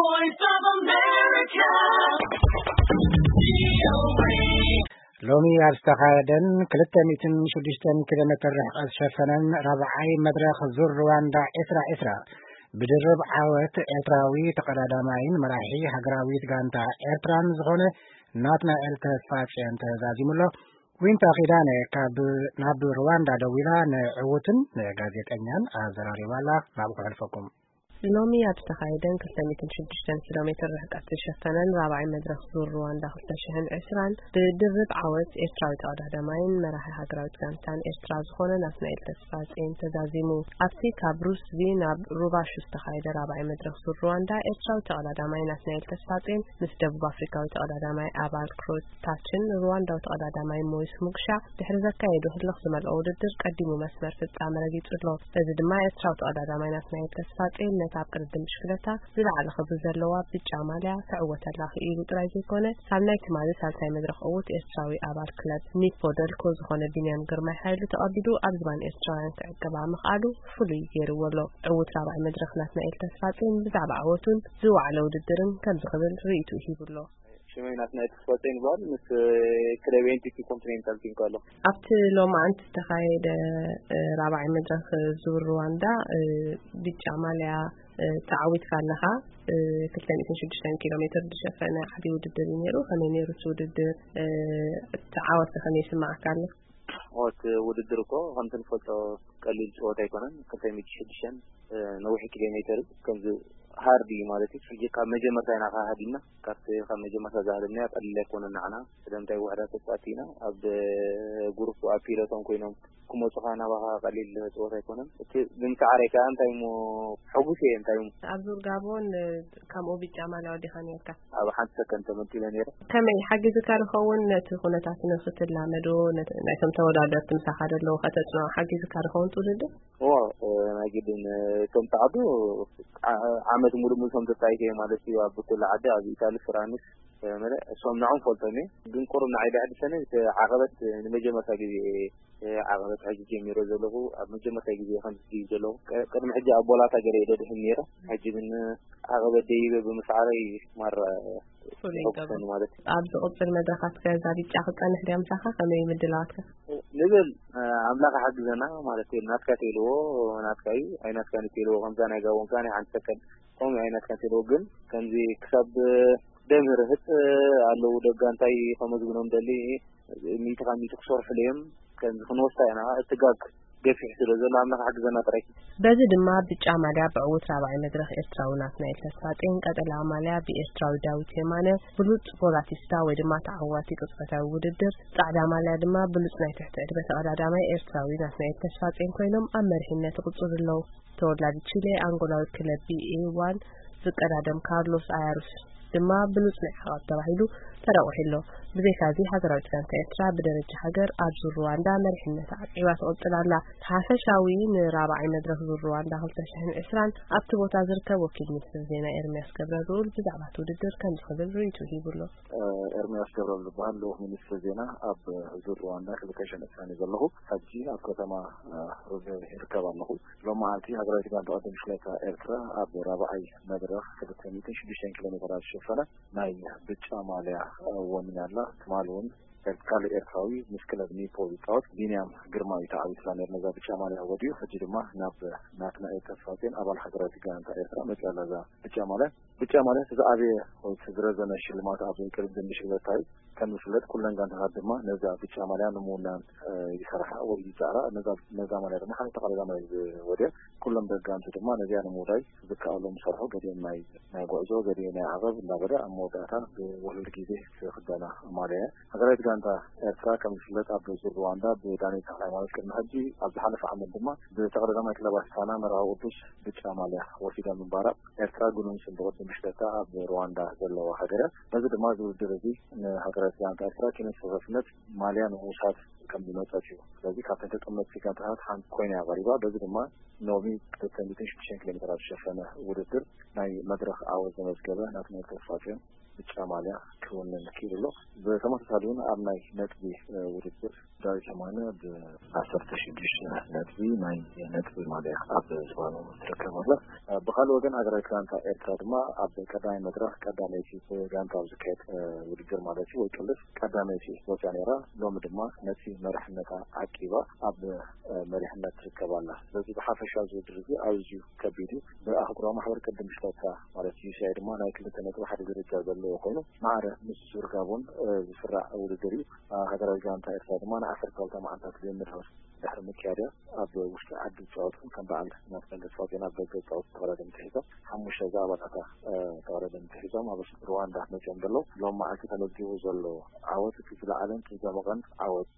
Voice of America. ሎሚ ኣብ ዝተኻየደን ክልተ ሚእትን ሽዱሽተን ኪሎ ሜትር ርሕቀት ዝሸፈነን ራብዓይ መድረኽ ዙር ሩዋንዳ ዕስራ ዕስራ ብድርብ ዓወት ኤርትራዊ ተቐዳዳማይን መራሒ ሃገራዊት ጋንታ ኤርትራን ዝኾነ ናትናኤል ተስፋጽዮን ተዛዚሙ ኣሎ። ዊንታ ኪዳነ ካብ ናብ ሩዋንዳ ደዊላ ንዕዉትን ንጋዜጠኛን ኣዘራሪባ ኣላ። ናብኡ ከሕልፈኩም። ሎሚ ኣብ ዝተኻየደን ክልተ ሚእትን ሽዱሽተን ኪሎ ሜትር ርሕቀት ዝሸፈነን ራብዓይ መድረኽ ዙር ሩዋንዳ ክልተ ሽሕን ዕስራን ብድርብ ዓወት ኤርትራዊ ተቐዳዳማይን መራሒ ሃገራዊት ጋንታን ኤርትራ ዝኾነ ናትናኤል ተስፋጽዮን ተዛዚሙ። ኣብቲ ካብ ሩስቪ ናብ ሩባሹ ዝተኻየደ ራብዓይ መድረኽ ዙር ሩዋንዳ ኤርትራዊ ተቐዳዳማይ ናትናኤል ተስፋጽዮን ምስ ደቡብ ኣፍሪካዊ ተቐዳዳማይ ኣባል ክሮታችን ሩዋንዳዊ ተቐዳዳማይ ሞይስ ሙግሻ ድሕሪ ዘካየዶ ህልኽ ዝመልኦ ውድድር ቀዲሙ መስመር ፍጻመ ረጊጹ ኣሎ። በዚ ድማ ኤርትራዊ ተቐዳዳማይ ናትናኤል ተስፋጽዮን ነቲ ኣብ ቅድድም ብሽክለታ ዝለዓለ ክብሪ ዘለዋ ብጫ ማልያ ክዕወተላ ክኢሉ ጥራይ ዘይኮነ፣ ካብ ናይ ትማሊ ሳልሳይ መድረኽ ዕዉት ኤርትራዊ ኣባል ክለብ ኒፖ ደልኮ ዝኾነ ቢንያም ግርማይ ሓይሉ ተቐቢሉ ኣብ ዝባን ኤርትራውያን ክዕቅባ ምኽኣሉ ፍሉይ ገይርዎ ኣሎ። ዕዉት ራብዓይ መድረኽ ናትናኤል ተስፋጽዮን ብዛዕባ ዓወቱን ዝወዓለ ውድድርን ከምዚ ክብል ርእይቱ ሂቡ ኣሎ። ሽመይ ናትናኤል ተስፋጽዮን ይበሃል። ምስ ክለብ ኤን ቲ ፒ ኮንቲኔንታል ቲንኮ ኣሎ። ኣብቲ ሎማዓንቲ ዝተኻየደ ራብዓይ መድረኽ ዙር ሩዋንዳ ብጫ ማልያ ተዓዊትካ ኣለኻ። ክልተ ሚእትን ሽዱሽተን ኪሎ ሜትር ዝሸፈነ ዓብዪ ውድድር እዩ ነይሩ። ከመይ ነይሩ እቲ ውድድር? እቲ ዓወት ከመይ ይስምዓካ ኣሎ? እቲ ውድድር እኮ ከምቲ ንፈልጦ ቀሊል ጨወታ ኣይኮነን። ክልተ ሚእቲ ሽዱሽተ ነዊሕ ኪሎ ሜትር ከምዚ ሃርድ እዩ ማለት እዩ። ሕጂ ካብ መጀመርታ ኢና ካሃዲምና። ካብቲ ካብ መጀመርታ ዝሃደምናዮ ቀሊል ኣይኮነን ንዓና። ስለምንታይ ውሕዳት ተጻወትቲ ኢና። ኣብ ግሩፕ ኣብ ፒሎቶን ኮይኖም ክመጹኻ ናባኻ ቀሊል ጸወታ ኣይኮነን። እቲ ብምስዓረይ ከኣ እንታይ እሞ ሕጉስ እየ። እንታይ እሞ ኣብ ዙር ጋቦን ከምኡ ብጫ ማልያ ወዲኻ ነርካ። ኣብ ሓንቲ ሰከንድ ተመንጢለ ነይረ። ከመይ ሓጊዝካ ዝኸውን ነቲ ኩነታት ንክትላመዶ፣ ነቲ ናይቶም ተወዳደርቲ ምሳኻ ዘለዉ ከተጽንዖ ሓጊዝካ ዝኸውን ትውድድር? እዎ፣ እ፣ ናይ ግድን፣ እ፣ ከም ጻዕዱ ዓ-፣ ዓመት ሙሉእ ሙሉእ ከም ተጻይተ እየ ማለት እዩ። ኣብ ኩሉ ዓዲ፣ ኣብ ኢታሊ፣ ፍራንስ፣ እ፣ መለ-፣ እሶም ንዖም ፈልጦም እየ። ግን ቁሩብ ንዓይ ዘሐድሰኒ እቲ ዓቐበት፣ እ፣ ንመጀመርታ ግዜ እየ፣ እ፣ ዓቐበት ሕጂ ጀሚረ ዘለኹ። ኣብ መጀመርታ ግዜ ከም ዝድይብ ዘለኹ። ቀ-፣ ቅድሚ ሕጂ ኣብ ቦላታ ገለ እየ ደድሕን ነይረ። ሕጂ ግን ዓቐበት ደይበ ብምስዓረይ ማራ ፍሉይ ይገብሮ። ይሕጉሰኒ ማለት እዩ። ኣብ ዝቕጽል መድረኻት ከ እዛ ብጫ ክትጸንሕ ድያ ምሳኻ? ከመይ እዩ ምድላዋትካ? ንብል፣ እ፣ ኣምላኽ ይሓግዘና ማለት እዩ። ናትካ ተልዎ ናትካ እዩ፣ ኣይናትካን ተልዎ ከምዛ ናይ ጋቦን ከኣ ናይ ሓንቲ ሰከንድ ከምኡ ኣይናትካን ተልዎ ግን ከምዚ ክሳብ ደምህርህት ኣለዉ ደጋ እንታይ ከመዝግኖም ደሊ ሚእቲ ካብ ሚእቲ ክሰርሑሉ እዮም። ከምዚ ክንወስዳ ኢና። እቲ ጋግ ገፊሕ ስለ ዘሎ ኣምላኽ ሓግዘና ጥራይ። በዚ ድማ ብጫ ማልያ ብዕዉት ራብዓይ መድረኽ ኤርትራዊ ናትናኤል ተስፋጼን፣ ቀጠልያ ማልያ ብኤርትራዊ ዳዊት የማነ፣ ብሉጽ ፖላቲስታ ወይ ድማ ተዓዋቲ ቅጽበታዊ ውድድር፣ ጻዕዳ ማልያ ድማ ብሉጽ ናይ ትሕቲ ዕድመ ተቐዳዳማይ ኤርትራዊ ናትናኤል ተስፋጼን ኮይኖም ኣብ መሪሕነት ይቕጽሉ ኣለዉ። ተወላዲ ቺሌ፣ ኣንጎላዊ ክለብ ቢ ኤ ዋን ዝቀዳደም ካርሎስ ኣያሩስ ድማ ብሉጽ ናይ ዓቐብ ተባሂሉ ተረቑሑ ኣሎ። ብዘይካዚ፣ ሃገራዊት ጋንታ ኤርትራ ብደረጃ ሃገር ኣብ ዙር ሩዋንዳ መሪሕነታ ዓቂባ ትቕጽል ኣላ። ሓፈሻዊ ንራብዓይ መድረኽ ዙር ሩዋንዳ ክልተ ሽሕን ዕስራን ኣብቲ ቦታ ዝርከብ ወኪል ሚኒስትር ዜና ኤርምያስ ገብረልኡል ብዛዕባ እቲ ውድድር ከምዚ ክብል ርእይቱ ሂቡ ኣሎ። ኤርምያስ ገብረልኡል ዝበሃል ልኡኽ ሚኒስትር ዜና ኣብ ዙር ሩዋንዳ ክልተ ሽሕን ዕስራን እዩ ዘለኹ። ሕጂ ኣብ ከተማ ሮቤ ይርከብ ኣለኹ። ሎማዓንቲ ሃገራዊት ጋንታ ቅድድም ብሽክለታ ኤርትራ ኣብ ራብዓይ መድረኽ ክልተ ሚእትን ሽዱሽተን ኪሎ ሜትር ኣብ ዝሸፈነ ናይ ብጫ ማልያ ወኒና ኣላ። ትማሊ እውን ካልእ ኤርትራዊ ምስ ክለብ ኒፖ ዝጻወት ቢንያም ግርማ እዩ ተዓዊትላ ነይሩ ነዛ ብጫ ማልያ ወዲኡ። ሕጂ ድማ ናብ ናትናኤል ተስፋጼን ኣባል ሃገራዊት ጋንታ ኤርትራ መጺኣ ኣላ እዛ ብጫ ማልያ። ብጫ ማልያ እቲ ዝዓበየ ወይ እቲ ዝረዘመ ሽልማት ኣብ ቅድድም ብሽክለታ እዩ። ከም ዝፍለጥ ኩለን ጋንታታት ድማ ነዛ ብጫ ማልያ ንምውናን፣ እ፣ ይሰርሓ ወይ ይጻዕራ። ነዛ፣ ነዛ ማልያ ድማ ሓደ ተቐዳዳማይ ዝወድያ። ኩሎም ደጋምቲ ድማ ነዚኣ ንምውዳይ ዝከኣሎም ይሰርሑ። ገሊኦም ናይ፣ ናይ ጉዕዞ፣ ገሊኦም ናይ ዓቐብ እንዳበለ ኣብ መወዳእታ ብውሕሉል ግዜ ዝኽደና ማልያ እያ። ሃገራዊት ጋንታ ኤርትራ ከም ዝፍለጥ ኣብ ዙር ሩዋንዳ ብዳንኤል ተኽለሃይማኖት ቅድሚ ሕጂ፣ ኣብ ዝሓለፈ ዓመት ድማ ብተቐዳዳማይ ክለብ ኣስታና መርሃዊ ቅዱስ ብጫ ማልያ ወሲዳ ምንባራ ኤርትራ ግኑን ስም ብቕድም ብሽክለታ ኣብ ሩዋንዳ ዘለዋ ሃገር እያ። በዚ ድማ እዚ ውድድር እዚ ንሃገራዊት ጋንታ ኤርትራ ኪነ ተሳታፍነት ማልያ ንምውሳድ ከም ዝመጸት እዩ። ስለዚ ካብተን ተጠመትቲ ጋንታታት ሓንቲ ኮይና እያ ቀሪባ። በዚ ድማ ሎሚ ክልተ ሚእትን ሽዱሽተን ኪሎ ሜትር ኣብ ዝሸፈነ ውድድር ናይ መድረኽ ዓወት ዘመዝገበ ናትናኤል ተስፋጽዮን ብጫ ማልያ ክውንን ክኢሉ ኣሎ። ብተመሳሳሊ እውን ኣብ ናይ ነጥቢ ውድድር ዳዊት የማነ ብዓሰርተ ሽዱሽተ ነጥቢ ናይ ነጥቢ ማልያ ኣብ ዝባኑ ትርከብ ኣላ። ብኻልእ ወገን ሃገራዊት ጋንታ ኤርትራ ድማ ኣብ ቀዳማይ መድረኽ ቀዳመይቲ ብጋንታ ኣብ ዝካየድ ውድድር ማለት እዩ ወይ ቅልስ ቀዳመይቲ ወፅያ ነይራ። ሎሚ ድማ ነቲ መሪሕነታ ዓቂባ ኣብ መሪሕነት ትርከብ ኣላ። ስለዚ ብሓፈሻ እዚ ውድድር እዚ ኣዝዩ ከቢድ እዩ። ብኣህጉራዊ ማሕበር ቅድም ሽቶታ ማለት ዩ ሲ ኣይ ድማ ናይ ክልተ ነጥቢ ሓደ ደረጃ ዘለዎ ኮይኑ ማዕረ ምስ ሱር ጋቦን ዝስራዕ ውድድር እዩ። ሃገራዊ ጋንታ ኤርትራ ድማ ንዓሰርተ ክልተ መዓልታት ልምምድ ድሕሪ ምክያድያ ኣብ ውሽጢ ዓዲ ዝፃወት ከም በዓል ናትናኤል ተስፋጽዮን ኣብ ደገ ዝፃወት ተቐዳደምቲ ሒዞም ሓሙሽተ ዝኣባላታ ተቐዳደምቲ ሒዞም ኣብ ሩዋንዳ መፅኦም ዘለዉ። ሎም መዓልቲ ተመዝጊቡ ዘሎ ዓወት እቲ ዝለዓለን እቲ ዝደመቐን ዓወት